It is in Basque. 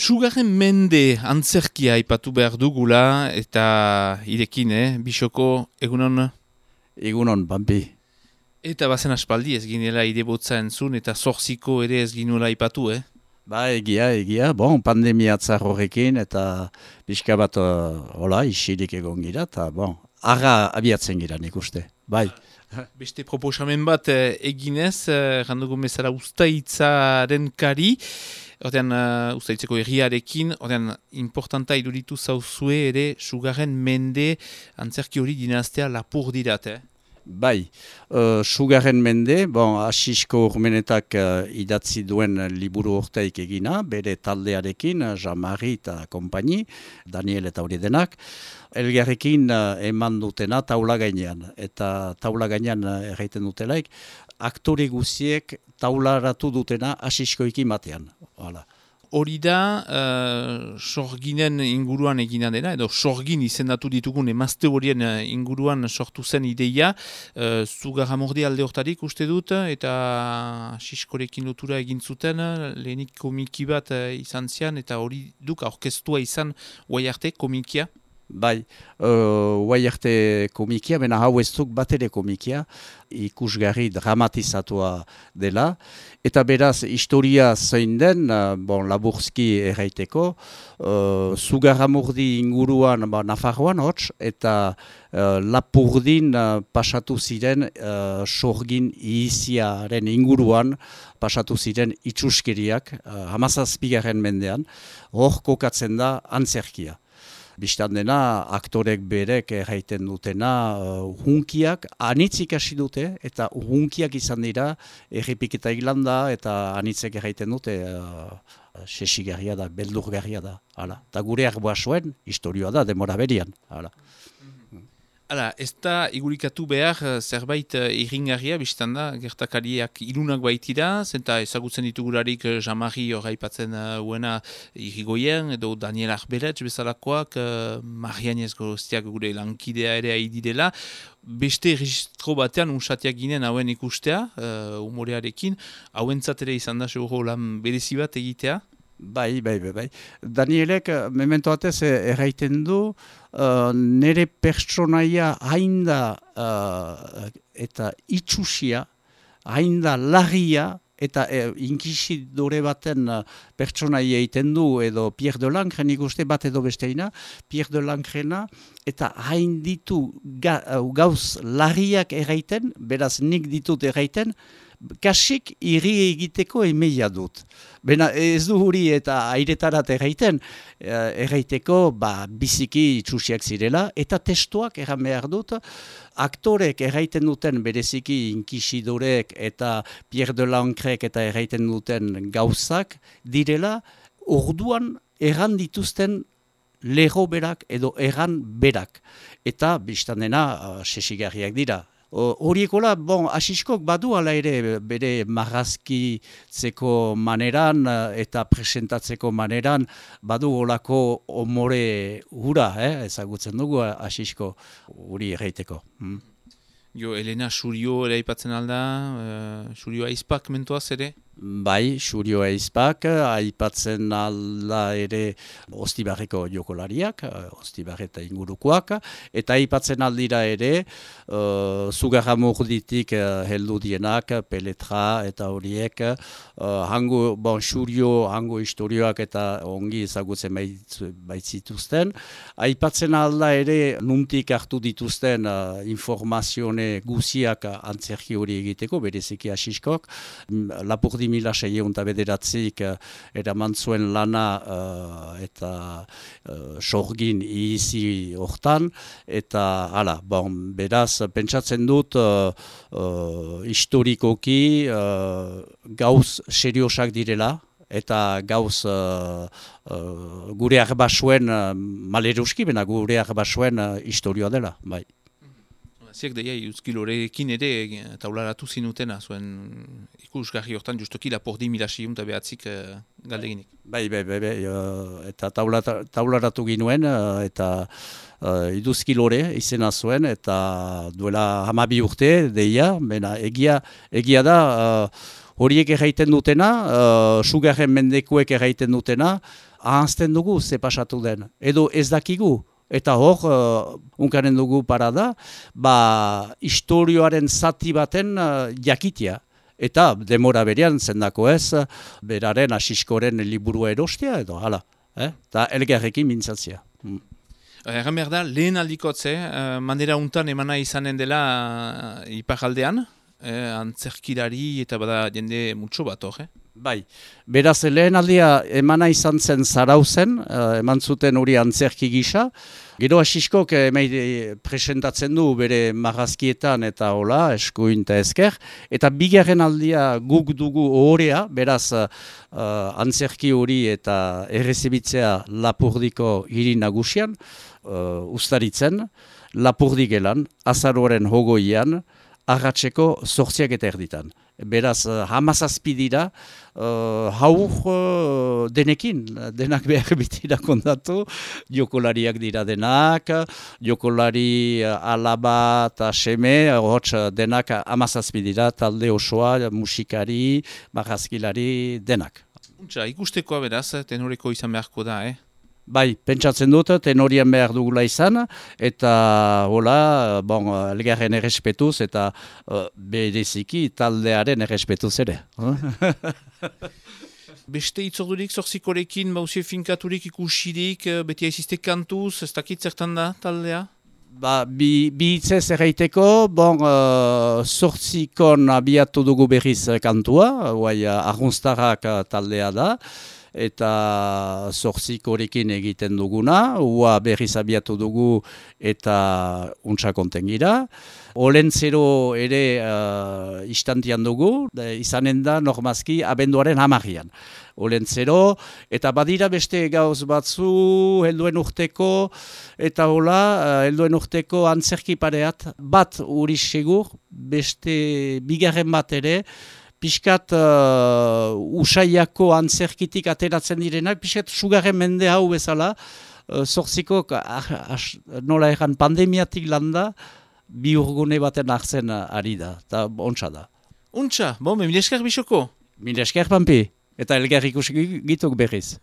Sugarren mende antzerkia aipatu behar dugula eta irekin, Bisoko, egunon? Egunon, Bambi. Eta bazen aspaldi ez ginela idebotza entzun eta zorziko ere ez ginula aipatu, Ba, egia. Bon, pandemia atzar horrekin eta pixka bat isilik egon gira, eta arra abiatzen gira nik uste. Bai. Beste proposamen bat eginez, randugu bezala ustaitzaren kari, ordean ustaitzeko herriarekin, ordean importanta iduritu zauzue ere Sugarren mende antzerki hori dinaztea lapur dirat, Bai, Sugarren mende, Asisko Urmenetak idatzi duen liburu urteik egina, bere taldearekin, Jean-Marie eta kompani, Daniel eta hori denak, elgarrekin eman dutena taula gainean, eta taula gainean erraiten dutelaik, aktore guziek taularatu dutena Asiskoekin batean, hala. Hori da, sorginen inguruan egina dena, edo sorgin izendatu ditugun emazte horien inguruan sortu zen ideia, Zugarramordi alde hortarik uste dut, eta Siskorekin lotura egin zuten, lehenik komiki bat izan zian, eta hori duk aurkeztua izan guai arte komikia. Bai, guai arte komikia, bena hau ez duk bat ere komikia, ikusgarri dramatizatua dela, eta beraz, historia zein den, laburzki erraiteko, Zugarramurdi inguruan Nafarroan hots, eta Lapurdin pasatu ziren sorgin iziaren inguruan, pasatu ziren itxuskeriak, 17. mendean, hor kokatzen da antzerkia. Bistan dena, aktorek berek erraiten dutena hunkiak anitzik hasi dute, eta hunkiak izan dira errepiketa Irlanda, eta anitzek erraiten dute sesigarria da, beldurgarria da. Eta gure arboa zuen, historioa da, demora berian. Hala, ez da igurikatu behar zerbait irringarria, biztan da, gertakariak ilunak baitira, zenta ezagutzen ditugularik Jean-Marie horreipatzen uena irrigoien, edo Daniel Arbeletz bezalakoak, Marianez Gorostiak gure lankidea ere haidirela, beste registro batean unsatiak ginen hauen ikustea, humorearekin, hauentzat ere izan da seguro lan berezi bat egitea? Bai. Danielek, memento batez erraiten du, nere pertsonaia hainda eta itxusia, hainda larria, eta inkisidore baten pertsonaia egiten du, edo Pierre de Lancren ikuste bat edo besteina, Pierre de Lancrena, eta hain ditu gauz larriak erraiten, beraz nik ditut erraiten, kasik irri egiteko emeia dut. Bena ez du huri eta airetarat erraiteko biziki itxusiak zirela, eta testuak erran behar dut, aktorek erraiten duten bereziki inkisidorek eta Pierre de Lancrek eta erraiten duten gauzak direla, orduan erran dituzten lero berak edo erran berak. Eta biztan dena sesigarriak dira. Horiekola, Asiskok badu ala ere bere marrazkitzeko maneran eta presentatzeko maneran badu olako omore hura, ezagutzen dugu Asisko hori erraiteko. Elena Xurio ere aipatzen alda, Xurio aizpak mentuaz ere? Bai, Xurio aizpak aipatzen alda ere Ostibarreko jokolariak, Ostibarre eta ingurukoak, eta aipatzen aldira ere Zugarramurditik heldu dienak, Peletra eta horiek, Xurio hango historioak eta ongi ezagutzen baitzituzten. Aipatzen alda ere nuntik hartu dituzten informazione guziak antzerki hori egiteko, bereziki Asiskok, Lapurdi 1609 eraman zuen lana eta sorgin izi hortan, eta beraz, pentsatzen dut historikoki gauz seriosak direla, eta gauz gure arbasuen maleruski, bena gure arbasuen historioa dela, bai. Ziak deia, Euskilorekin ere taularatu zinutena, zuen ikusgarri hortan justoki Lapurdi 1609 galdeginik. Bai, eta taularatu ginuen, eta Iduzkilore izena zuen, eta duela 12 urte, deia, egia da, horiek erraiten dutena, Sugarren mendekuek erraiten dutena, ahazten dugu ze pasatu den, edo ez dakigu. Eta hor, unkanen dugu parada, historioaren zati baten jakitia. Eta demora berean zendako ez, beraren asiskoren liburua erostea edo, hala. Eta elgarrekin mintzatzea. Erran behar da, lehen aldikotze, manera untan emana izanen dela iparaldean, antzerkilari eta bada jende mutxo bat hor, Bai, beraz lehen aldia emana izan zen Zarauzen, eman zuten hori antzerki gisa. Gero asiskok presentatzen du bere marrazkietan eta hola, eskuin eta esker. Eta bigarren aldia guk dugu ohorea, beraz antzerki hori eta errezibitzea Lapurdiko hiri nagusian, ustaritzen, Lapurdigelan, azaroaren hogoian, arratseko 8:00 Beraz, 17 dira, denekin, denak behar bitira kontatu, jokolariak dira denak, jokolari alaba eta seme, denak 17 dira, talde osoa, musikari, marrazkilari, denak. Ikustekoa beraz, tenoreko izan beharko da, Bai, pentsatzen dut, tenorian behar dugula izan, eta hola, elgarren errespetuz, eta bereziki taldearen errespetuz ere. Beste itzordurik, zorzikorekin, bauzie finkaturik, ikusirik, beti aizizte kantuz, ez dakit zertan da taldea? Bi hitzez erraiteko, zorzikon abiatu dugu berriz kantua, arrunztarrak taldea da, eta zorzikorekin egiten duguna, ua berriz abiatu dugu eta untsa konten gira. Olentzero ere istantian dugu, izanen da normazki abenduaren 10. Olentzero, eta badira beste gauz batzu helduen urteko, eta hola, helduen urteko antzerki pareat, bat uri segur, beste bigarren bat ere, Piskat usaiako antzerkitik ateratzen direnak, piskat sugarren mende hau bezala, zorzikok nola egan pandemiatik landa, bi urgune baten hartzen ari da, eta ontsa da. Ontsa, mila esker bisoko? Mila esker, Pampi, eta elgar ikusik gituk berriz.